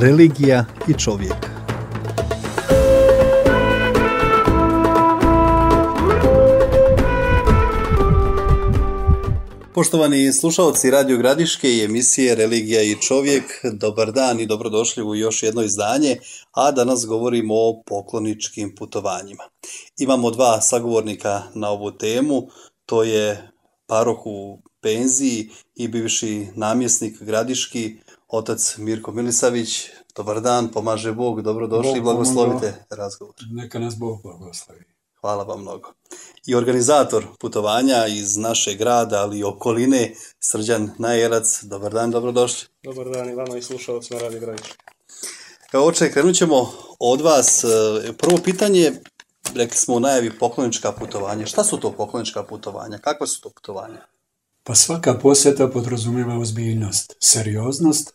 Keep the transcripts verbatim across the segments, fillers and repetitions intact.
Religija i čovjek. Poštovani slušalci Radio Gradiške i emisije Religija i čovjek, dobar dan i dobrodošli u još jedno izdanje, a danas govorimo o pokloničkim putovanjima. Imamo dva sagovornika na ovu temu, to je paroh u penziji i bivši namjesnik gradiški, otac Mirko Milisavić. Dobar dan, pomaže Bog, dobrodošli i blagoslovite razgovor. Neka nas Bog blagoslovi. Hvala vam mnogo. I organizator putovanja iz našeg grada, ali i okoline, Srđan Najerac. Dobar dan, dobrodošli. Dobar dan i vama i slušalcima Radio Gradiške. Evo, oče, krenut ćemo od vas. Prvo pitanje, rekli smo u najavi poklonička putovanja. Šta su to poklonička putovanja? Kakva su to putovanja? Pa svaka posjeta podrazumijeva ozbiljnost, serioznost.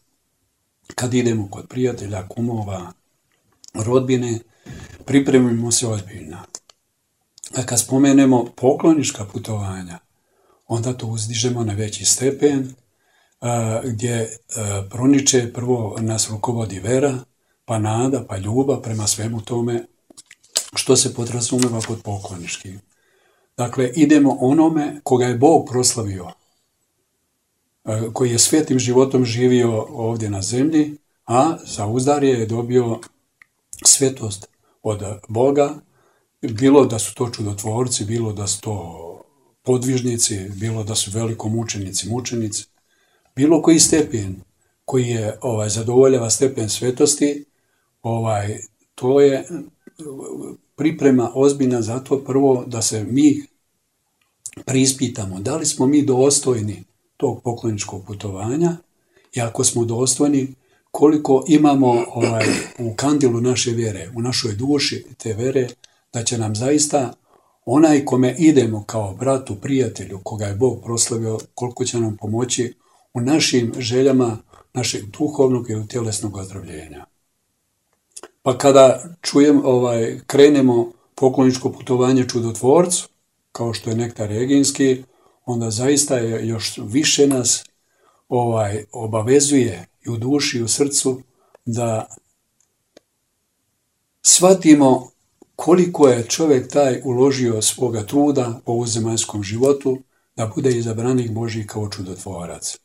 Kad idemo kod prijatelja, kumova, rodbine, pripremimo se ozbiljno. A kad spomenemo poklonička putovanja, onda to uzdižemo na veći stepen, a, gdje a, proniče prvo nas rukovodi vera, pa nada, pa ljubav prema svemu tome što se podrazumijeva pod pokloničkim. Dakle, idemo onome koga je Bog proslavio, a, koji je svetim životom živio ovdje na zemlji, a za uzdarje je dobio svetost od Boga, bilo da su to čudotvorci, bilo da su to podvižnici, bilo da su velikomučenici, mučenici, bilo koji stepen koji je ovaj zadovoljava stepen svetosti, ovaj to je priprema ozbiljna za to prvo da se mi preispitamo da li smo mi dostojni tog pokloničkog putovanja i ako smo dostojni koliko imamo ovaj u kandilu naše vjere, u našoj duši te vjere, da će nam zaista onaj kome idemo kao bratu, prijatelju, koga je Bog proslavio, koliko će nam pomoći u našim željama, našeg duhovnog i tjelesnog ozdravljenja. Pa kada čujem, ovaj, krenemo pokloničko putovanje čudotvorcu, kao što je Nektar Reginski, onda zaista je još više nas ovaj, obavezuje i u duši i u srcu da shvatimo koliko je čovjek taj uložio svoga truda po ovozemaljskom životu da bude izabranik Božji kao čudotvorac.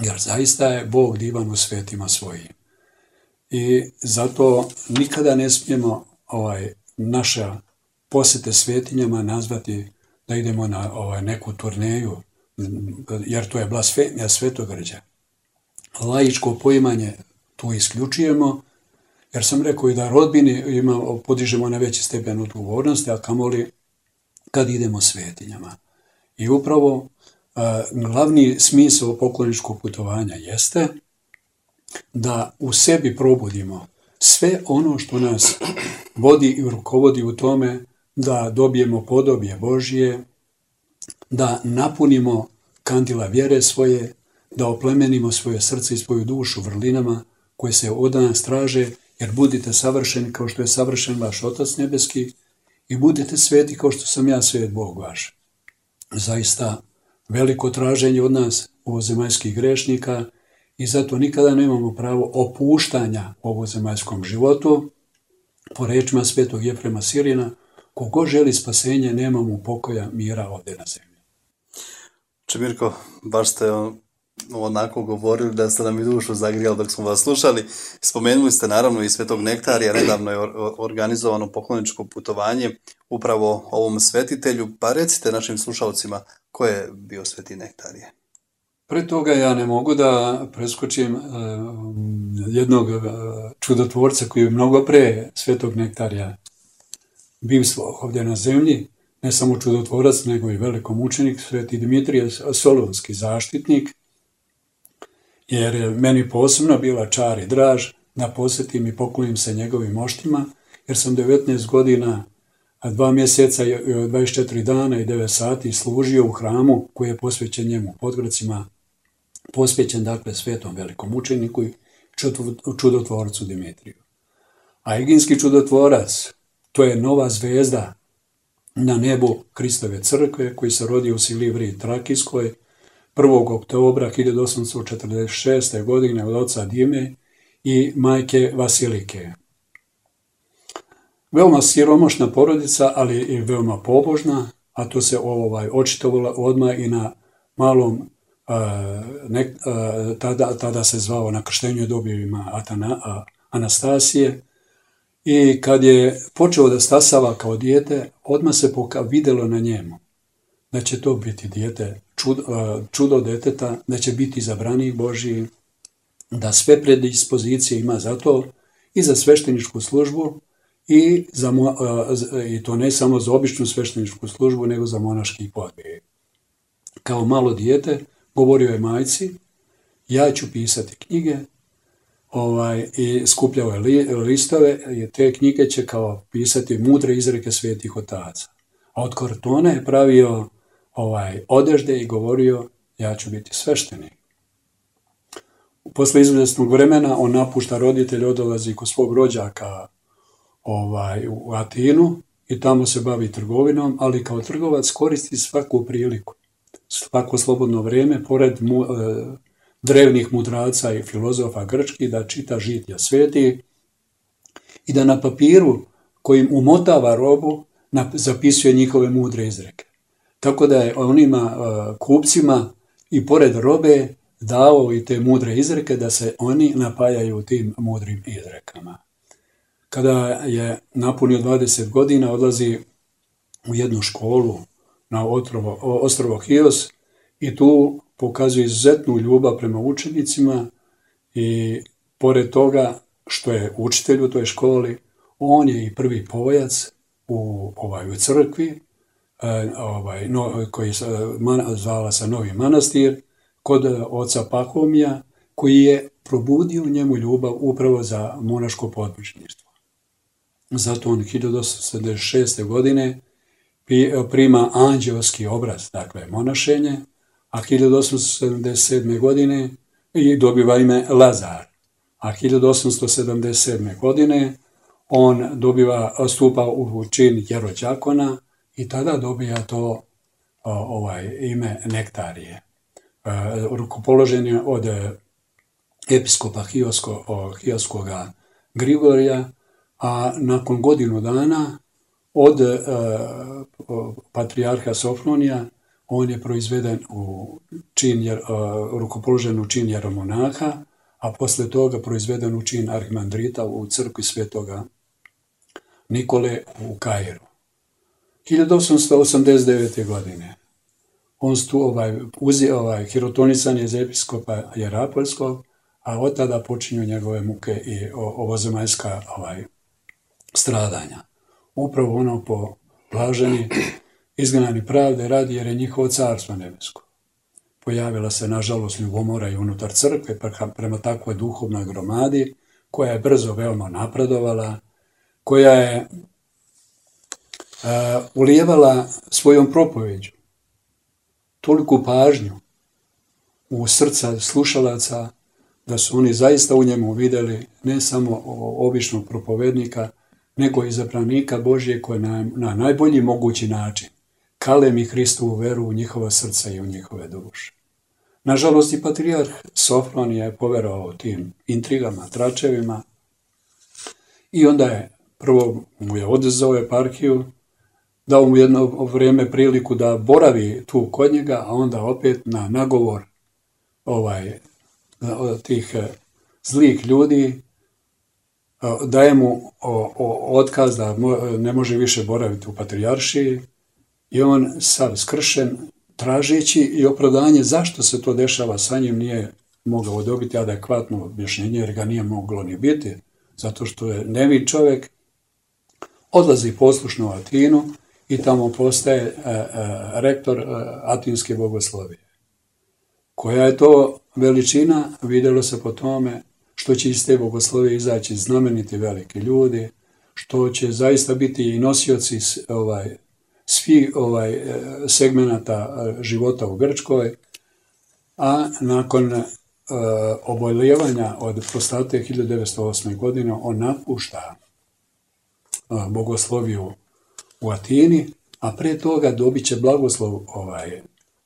Jer zaista je Bog divan u svetima svojim. I zato nikada ne smijemo ovaj, naša posjete svetinjama nazvati da idemo na ovaj, neku turneju, jer to je blasfemija svetogrđa. Laičko poimanje tu isključujemo, jer sam rekao i da rodbini ima, podižemo na veći stepen odgovornosti, a kamoli kad idemo svetinjama. I upravo a, glavni smisao pokloničkog putovanja jeste da u sebi probudimo sve ono što nas vodi i rukovodi u tome da dobijemo podobje Božje, da napunimo kandila vjere svoje, da oplemenimo svoje srce i svoju dušu vrlinama koje se od nas traže, jer budite savršeni kao što je savršen vaš Otac nebeski i budete sveti kao što sam ja svet Bog vaš. Zaista veliko traženje od nas ovozemaljskih grešnika i zato nikada nemamo pravo opuštanja u ovozemaljskom životu. Po rečima svetog Jefrema Sirina, kogo želi spasenje, nema mu pokoja, mira ovdje na zemlji. Mirko, baš ste onako govorili da ste nam i dušu zagrijali dok smo vas slušali. Spomenuli ste naravno i Svetog Nektarija, nedavno je organizovano pokloničko putovanje upravo ovom svetitelju. Pa recite našim slušalcima ko je bio Sveti Nektarije. Pre toga ja ne mogu da preskočim uh, jednog uh, čudotvorca koji je mnogo pre Svetog Nektarija bivstvo ovdje na zemlji. Ne samo čudotvorac, nego i velikomučenik, Sveti Dimitrije Solunski, zaštitnik, jer je meni posebno bila čar i draž da posjetim i poklonim se njegovim moštima, jer sam devetnaest godina, dva mjeseca, dvadeset četiri dana i devet sati služio u hramu koji je posvećen njemu Podgorcima, posvećen dakle svetom velikomučeniku i čudotvorcu Dimitriju. A Eginski čudotvorac, to je nova zvezda na nebu Kristove crkve koji se rodio u Silivri Trakijskoj prvog oktobra hiljadu osamsto četrdeset šeste. godine od oca Dime i majke Vasilike. Veoma siromašna porodica, ali i veoma pobožna, a to se ovaj, očitovalo odmah i na malom, a, ne, a, tada, tada se zvao na krštenju je dobio ima Atana, a, Anastasije. I kad je počeo da stasava kao dijete, odmah se poka vidjelo na njemu da će to biti dijete, čudo, čudo deteta, da će biti izabranik Božji, da sve predispozicije ima za to i za svešteničku službu i, za, i to ne samo za običnu svešteničku službu, nego za monaški podvig. Kao malo dijete govorio je majci, ja ću pisati knjige, Ovaj, i skupljao je li, listove i te knjige će kao pisati mudre izreke svetih otaca. A od kartona je pravio ovaj, odežde i govorio ja ću biti sveštenik. Posle izvjesnog vremena on napušta roditelj, odlazi kod svog rođaka ovaj, u Atinu i tamo se bavi trgovinom, ali kao trgovac koristi svaku priliku, svako slobodno vrijeme, pored mu, e, drevnih mudraca i filozofa grčkih, da čita žitija sveti i da na papiru kojim umotava robu zapisuje njihove mudre izreke. Tako da je onima uh, kupcima i pored robe dao i te mudre izreke da se oni napajaju tim mudrim izrekama. Kada je napunio dvadeset godina, odlazi u jednu školu na otrovo, ostrvo Hios i tu pokazuje izuzetnu ljubav prema učenicima i pored toga što je učitelj u toj školi, on je i prvi pojac u, ovaj, u crkvi, ovaj, no, koji se zvala se Novi Manastir, kod oca Pahomija, koji je probudio u njemu ljubav upravo za monaško podvižništvo. Zato on hiljadu osamsto sedamdeset šeste. godine prima anđelski obraz, dakle monašenje, a hiljadu osamsto sedamdeset sedme. godine i dobiva ime Lazar. A hiljadu osamsto sedamdeset sedme. godine on dobiva, stupa u čin jerođakona i tada dobija to ovaj, ime Nektarije. Rukopoložen je od episkopa Hiosko, Hioskoga Grigorija, a nakon godinu dana od uh, patrijarha Sofronija on je proizveden u čin, jer, uh, rukopoložen u čin jeromonaha, a posle toga proizveden u čin arhimandrita u crkvi svetoga Nikole u Kairu. hiljadu osamsto osamdeset devete. godine on stu, ovaj, uzi, ovaj, hirotonisan je iz episkopa Jerapolskog, a od tada počinju njegove muke i ovozemaljska ovaj, stradanja. Upravo ono po blaženi izgnani pravde radi, jer je njihovo carstvo nebesko. Pojavila se, nažalost, ljubomora i unutar crkve prema takvoj duhovnoj gromadi, koja je brzo veoma napredovala, koja je uh, ulijevala svojom propoveđu toliku pažnju u srca slušalaca, da su oni zaista u njemu vidjeli ne samo običnog propovednika, nego izabranika Božje koji na, na najbolji mogući način kalemi Hristovu veru u njihova srca i u njihove duše. Nažalost, i patrijarh Sofron je poverovao tim intrigama, tračevima i onda je prvo mu je odezao eparhiju, dao mu jedno vrijeme priliku da boravi tu kod njega, a onda opet na nagovor ovaj, tih zlih ljudi daje mu o, o, otkaz da mo, ne može više boraviti u patrijaršiji i on sav skršen, tražeći i opravdanje zašto se to dešava sa njim, nije mogao dobiti adekvatno objašnjenje, jer ga nije moglo ni biti, zato što je nevin čovjek, odlazi poslušno u Atinu i tamo postaje a, a, rektor a, Atinske bogoslovije. Koja je to veličina, vidjelo se po tome što će iz te bogoslovije izaći znameniti veliki ljudi, što će zaista biti i nosioci ovaj, svi ovaj, segmenata života u Grčkoj, a nakon uh, oboljevanja od prostate hiljadu devetsto osme. godine on napušta uh, bogosloviju u Atini, a pre toga dobit će blagoslov ovaj,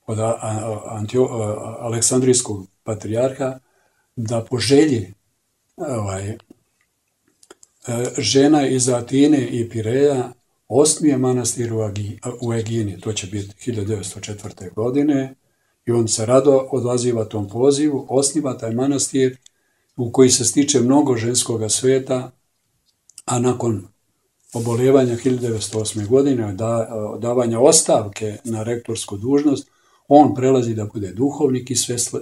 od a, a, Antio, a, Aleksandrijskog patrijarha da po želji ovaj, e, žena iz Atine i Pireja osnuje manastir u, Agi, u Egini, to će biti hiljadu devetsto četvrte. godine, i on se rado odaziva tom pozivu, osniva taj manastir u koji se stiče mnogo ženskoga sveta, a nakon oboljevanja hiljadu devetsto osme. godine, da, davanja ostavke na rektorsku dužnost, on prelazi da bude duhovnik i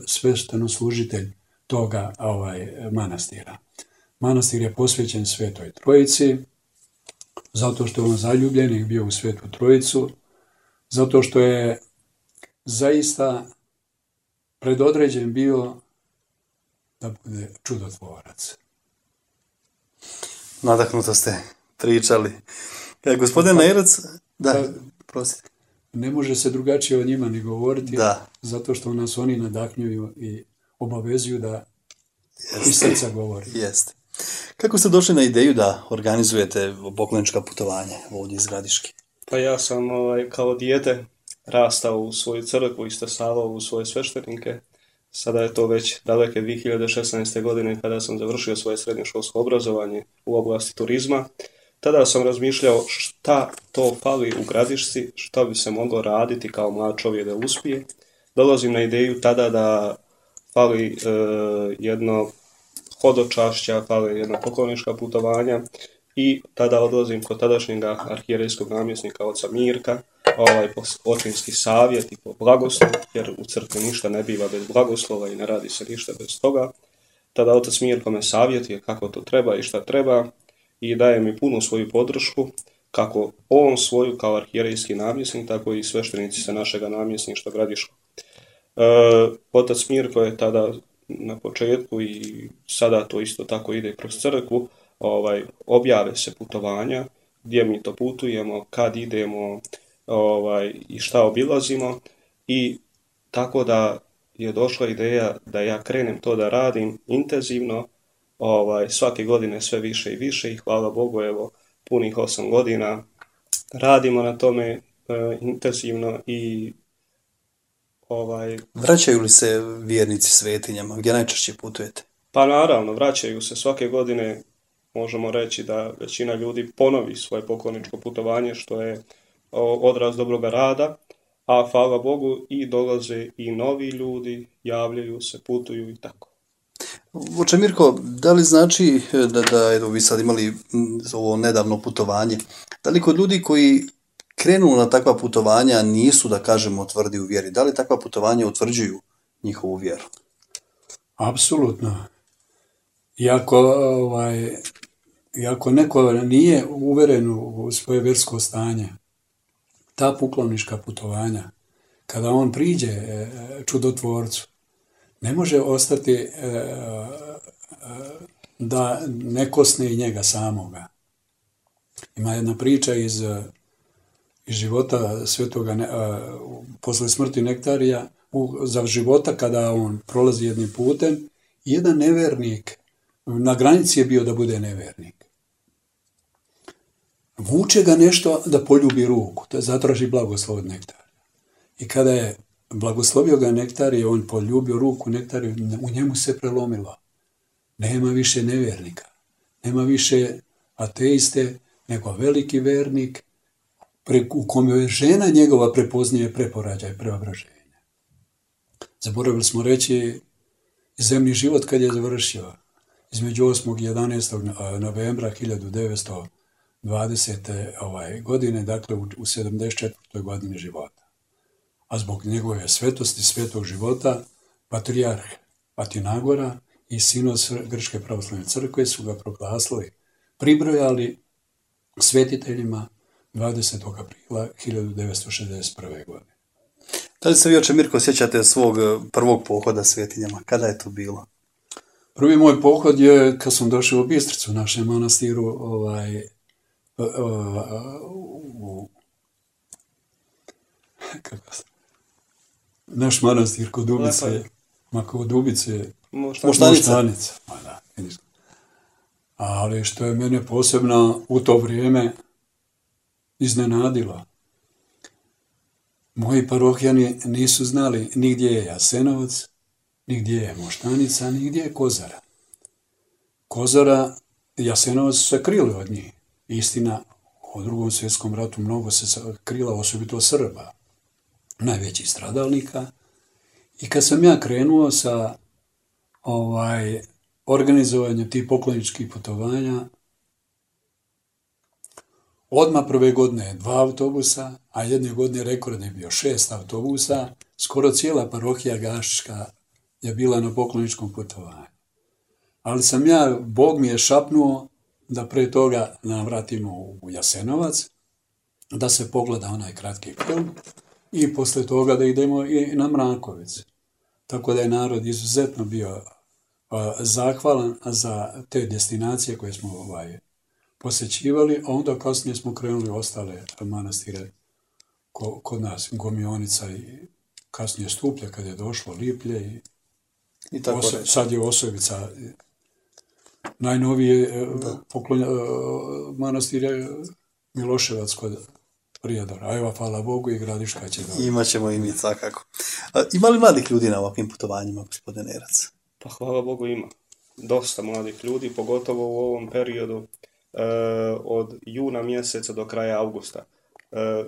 svešteno-služitelj toga ovaj, manastira. Manastir je posvećen Svetoj Trojici, zato što je on zaljubljenik bio u Svetu Trojicu, zato što je zaista predodređen bio da bude čudotvorac. Nadahnuto ste pričali. E, gospodin Neirac, da, Pa, prosite. ne može se drugačije o njima ni govoriti, Da. zato što nas oni nadahnjuju i obavezuju da Jeste. iz srca govori. Jeste. Kako ste došli na ideju da organizujete poklonička putovanja ovdje iz Gradiške? Pa ja sam ovaj, kao dijete rastao u svoju crkvu i stasavao u svoje sveštenike. Sada je to već daleke dvije hiljade šesnaeste. godine kada sam završio svoje srednjoškolsko obrazovanje u oblasti turizma. Tada sam razmišljao šta to fali u Gradišci, šta bi se moglo raditi kao mlad čovjek da uspije. Dolazim na ideju tada da fali e, jedno hodočašća, fali jedna poklonička putovanja i tada odlazim kod tadašnjega arhijerejskog namjesnika oca Mirka, ovaj, po očinski savjet i po blagoslov, jer u crkvi ništa ne biva bez blagoslova i ne radi se ništa bez toga. Tada otac Mirko me savjetuje kako to treba i šta treba i daje mi punu svoju podršku, kako on svoju kao arhijerejski namjesnik, tako i sveštenici sa našega namjesništva Gradiškog. E, otac Mirko je tada na početku i sada to isto tako ide kroz crkvu, ovaj, objave se putovanja, gdje mi to putujemo, kad idemo ovaj, i šta obilazimo, i tako da je došla ideja da ja krenem to da radim intenzivno, ovaj, svake godine sve više i više, i hvala Bogu, evo, punih osam godina radimo na tome e, intenzivno i ovaj, Vraćaju li se vjernici svetinjama? Gdje najčešće putujete? pa naravno, vraćaju se svake godine, možemo reći da većina ljudi ponovi svoje pokloničko putovanje, što je o, odraz dobroga rada, a hvala Bogu i dolaze i novi ljudi, javljaju se, putuju i tako. Oče Mirko, da li znači da, da evo, vi sad imali mm, ovo nedavno putovanje, da li kod ljudi koji krenu na takva putovanja nisu, da kažemo, tvrdi u vjeri, da li takva putovanja utvrđuju njihovu vjeru? Apsolutno. Iako, ovaj, iako neko nije uveren u svoje vjersko stanje, ta poklonička putovanja, kada on priđe e, čudotvorcu, ne može ostati e, e, da ne kosne i njega samoga. Ima jedna priča iz, iz života svetoga, ne, a, posle smrti Nektarija, u, za života kada on prolazi jednim putem, jedan nevernik, na granici je bio da bude nevernik. Vuče ga nešto da poljubi ruku, da zatraži blagoslov od Nektarija. I kada je blagoslovio ga Nektarije, on poljubio ruku Nektariju, u njemu se prelomilo. Nema više nevernika, nema više ateiste, nego veliki vernik, pre, u kome je žena njegova prepoznaje preporađaj, preobraženje. Zaboravili smo reći zemlji život kad je završio, između osmog i jedanaestog novembra hiljadu devetsto dvadesete ovaj, godine, dakle u, u sedamdeset četvrtoj godini života. A zbog njegove svetosti, svetog života, patrijarh Patinagora i sinos Grčke pravoslavne crkve su ga proglasili, pribrojali svetiteljima dvadesetog aprila hiljadu devetsto šezdeset prve. godine. Da li se vi, oče Mirko, sjećate svog prvog pohoda svetinjama? Kada je to bilo? Prvi moj pohod je kad sam došao u Bistricu, u našem manastiru, ovaj, u, kako se, naš manastir kod Dubice, ma kod Dubice, Moštanica. Moštanica. Ma da, vidiš. Ali što je mene posebno u to vrijeme iznenadilo, moji parohijani nisu znali ni gdje je Jasenovac, ni gdje je Moštanica, ni gdje je Kozara. Kozara, Jasenovac su se krili od njih. Istina, u drugom svjetskom ratu mnogo se krila, osobito Srba, najvećih stradalnika. I kad sam ja krenuo sa ovaj, organizovanjem tih pokloničkih putovanja, odmah prve godine dva autobusa, a jedne godine rekord je bio šest autobusa, skoro cijela parohija Gašička je bila na pokloničkom putovanju. Ali sam ja, Bog mi je šapnuo da pre toga navratimo u Jasenovac, da se pogleda onaj kratki film i posle toga da idemo i na Mrakovic. Tako da je narod izuzetno bio uh, zahvalan za te destinacije koje smo ovaj, posjećivali, a onda kasnije smo krenuli ostale manastire ko, kod nas, Gomionica i kasnije Stuplje kad je došlo, Liplje i, I tako Oso, sad je Osovica. Najnovije poklonja, manastir je Miloševac kod Prijedora. A evo, hvala Bogu, i Gradiška će dobiti. Imaćemo i mi svakako. Ima li mladih ljudi na ovakvim putovanjima, gospodin Nerac? Pa hvala Bogu ima. Dosta mladih ljudi, pogotovo u ovom periodu e, od juna mjeseca do kraja avgusta. E,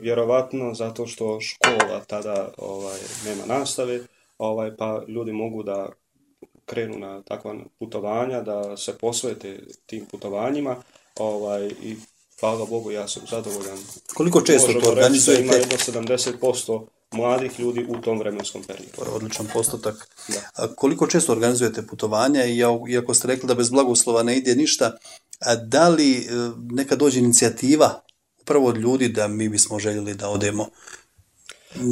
vjerovatno zato što škola tada ovaj, nema nastave, ovaj, pa ljudi mogu da krenu na takva putovanja, da se posvete tim putovanjima, ovaj, i hvala Bogu, ja sam zadovoljan. Koliko često to organizujete? Ima jedno sedamdeset posto mladih ljudi u tom vremenskom periodu. Odličan postotak. Da. A koliko često organizujete putovanja, i iako ste rekli da bez blagoslova ne ide ništa, a da li neka dođe inicijativa upravo od ljudi da mi bismo željeli da odemo?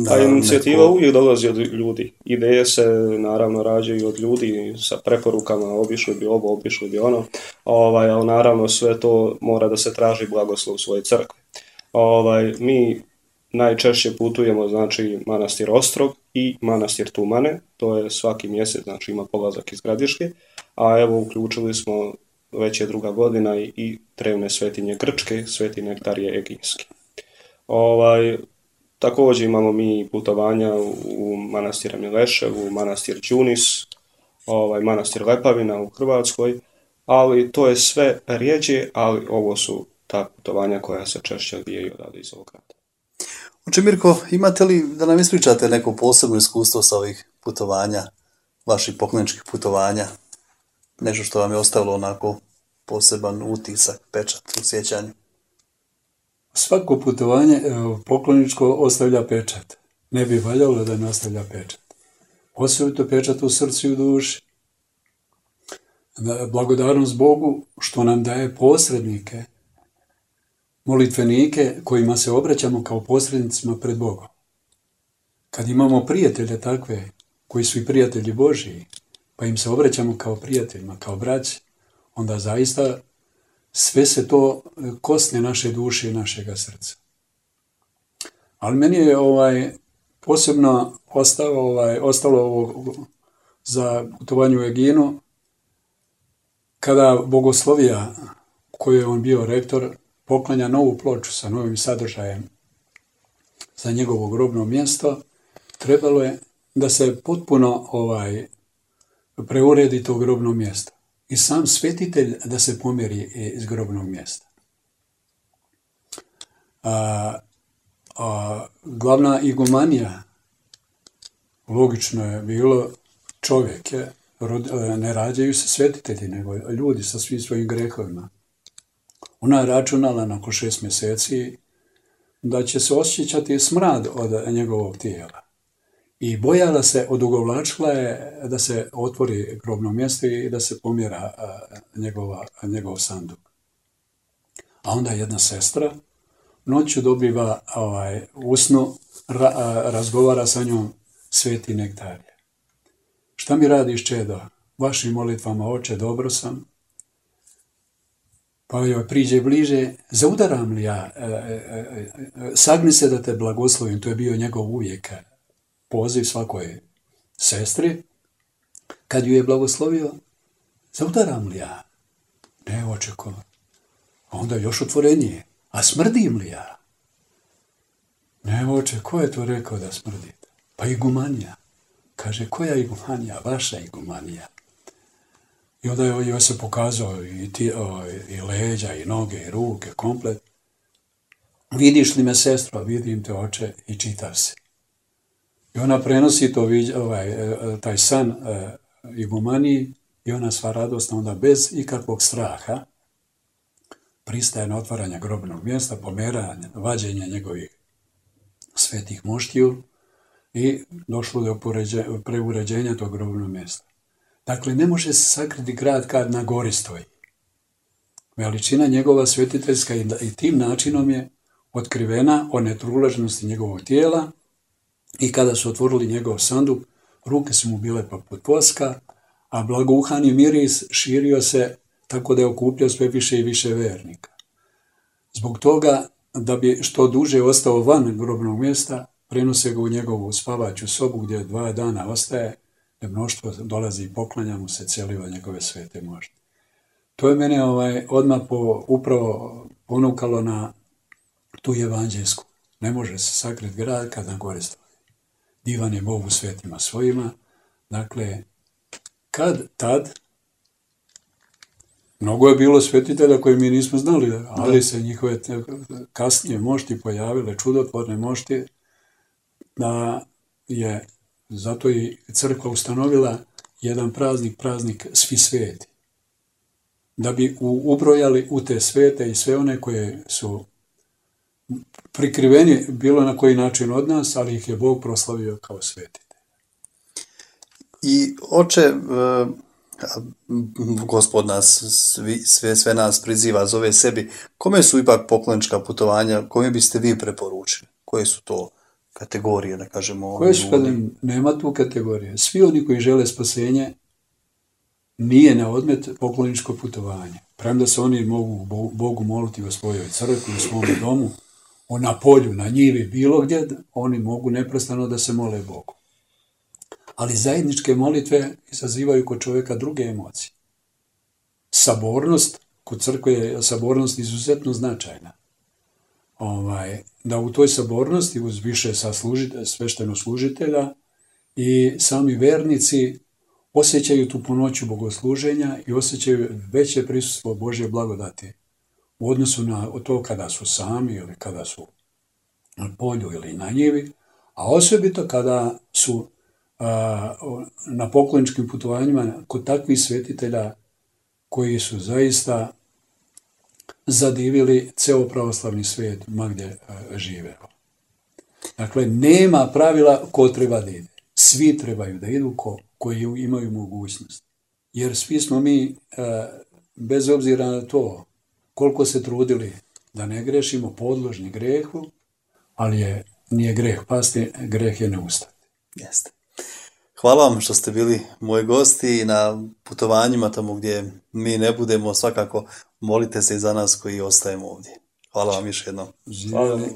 A inicijativa neko... uvijek dolazi od ljudi. Ideje se naravno rađaju od ljudi sa preporukama, obišli bi ovo, obišli bi ono, ovaj, ali naravno sve to mora da se traži blagoslov svoje crkve. Ovaj, mi najčešće putujemo, znači, manastir Ostrog i manastir Tumane, to je svaki mjesec, znači ima polazak iz Gradiške, a evo uključili smo, već je druga godina, i, i Trevne svetinje Grčke, Sveti Nektarije Egijski. Ovaj, također imamo mi putovanja u, u manastir Milešev, u manastir Đunis, ovaj, manastir Lepavina u Hrvatskoj, ali to je sve rijeđe, ali ovo su ta putovanja koja se češće odvijaju odavde iz ovog grada. Oče Mirko, imate li da nam ispričate neko posebno iskustvo sa ovih putovanja, vaših pokloničkih putovanja? Nešto što vam je ostavilo onako poseban utisak, pečat u sjećanju? Svako putovanje pokloničko ostavlja pečat. Ne bi valjalo da ne ostavlja pečat. Osobito pečat u srcu i u duši. Blagodarnost Bogu što nam daje posrednike, molitvenike kojima se obraćamo kao posrednicima pred Bogom. Kad imamo prijatelje takve, koji su i prijatelji Božiji, pa im se obraćamo kao prijateljima, kao braći, onda zaista sve se to kosne naše duše i našega srca. Ali meni je ovaj, posebno ostalo, ovaj, ostalo ovo za putovanje u Eginu, kada Bogoslovija, u kojoj je on bio rektor, poklanja novu ploču sa novim sadržajem za njegovo grobno mjesto, trebalo je da se potpuno ovaj, preuredi to grobno mjesto. I sam svetitelj da se pomjeri iz grobnog mjesta. A, a, glavna igumanija, logično je bilo, čovjek je, ne rađaju se svetitelji, nego ljudi sa svim svojim grehovima. Ona je računala nakon šest mjeseci da će se osjećati smrad od njegovog tijela. I bojala se, odugovlačila je da se otvori grobno mjesto i da se pomjera njegova, njegov sanduk. A onda jedna sestra noću dobiva ovaj, usnu, ra, razgovara sa njom Sveti Nektarije. Šta mi radiš, čedo? Vašim molitvama, oče, dobro sam. Pa joj priđe bliže, zaudaram li ja? E, e, e, sagni se da te blagoslovim, to je bio njegov uvijek poziv svakoj sestri. Kad ju je blagoslovio, zaudaram li ja? Ne, očeko. A onda još otvorenije. A smrdim li ja? Ne, oče, ko je to rekao da smrdite? Pa igumanija. Kaže, koja igumanija? Vaša igumanija. I onda je joj se pokazao i, ti, o, i leđa, i noge, i ruke, komplet. Vidiš li me, sestro? Vidim te, oče, i čitav se. I ona prenosi to, ovaj, taj san eh, igumaniji i ona sva radosna onda bez ikakvog straha pristaje na otvaranje grobnog mjesta, pomeranje, vađenje njegovih svetih moštiju i došlo do preuređenja tog grobnog mjesta. Dakle, ne može se sakriti grad kad na gori stoji. Veličina njegova svetiteljska i, i tim načinom je otkrivena o netruležnosti njegovog tijela i kada su otvorili njegov sanduk, ruke su mu bile poput voska, a blagouhani miris širio se tako da je okupljao sve više i više vernika. Zbog toga, da bi što duže ostao van grobnog mjesta, prenose ga u njegovu spavaću sobu gdje dva dana ostaje, gdje mnoštvo dolazi i poklanja mu se, celiva njegove svete mošti. To je mene ovaj, odmah po, upravo ponukalo na tu evanđelsku. Ne može se sakriti grad kad na gore stoji. Divan je Bog u svetima svojima. Dakle, kad tad, mnogo je bilo svetitelja koje mi nismo znali, ali se njihove kasnije mošti pojavile, čudotvorne mošti, da je zato i crkva ustanovila jedan praznik, praznik svi sveti. Da bi ubrojali u te svete i sve one koje su prikriveni bilo na koji način od nas, ali ih je Bog proslavio kao svetite. I oče, Gospod nas, svi, sve, sve nas priziva, zove sebi. Kome su ipak poklonička putovanja, kome biste vi preporučili? Koje su to kategorije, da kažemo? Koje su, kada nema tu kategorije. Svi oni koji žele spasenje, nije na odmet pokloničko putovanje. Premda se oni mogu Bogu moliti u svojoj crkvi, u svom domu, na polju, na njivi, bilo gdje, oni mogu neprestano da se mole Bogu. Ali zajedničke molitve izazivaju kod čovjeka druge emocije. Sabornost, kod crkve je sabornost izuzetno značajna. Ovaj, da u toj sabornosti uz više svešteno-služitelja i sami vernici osjećaju tu punoću bogosluženja i osjećaju veće prisustvo Božje blagodati u odnosu na to kada su sami ili kada su na polju ili na njivi, a osobito kada su a, na pokloničkim putovanjima kod takvih svetitelja koji su zaista zadivili ceo pravoslavni svijet ma gdje žive. Dakle, nema pravila ko treba da ide. Svi trebaju da idu ko, koji imaju mogućnost. Jer svi smo mi, bez obzira na to koliko se trudili da ne grešimo, podložni grehu, ali je, nije greh pasti, greh je ne ustati. Jeste. Hvala vam što ste bili moji gosti i na putovanjima tamo gdje mi ne budemo, svakako molite se i za nas koji ostajemo ovdje. Hvala vam još jednom. Živjeli.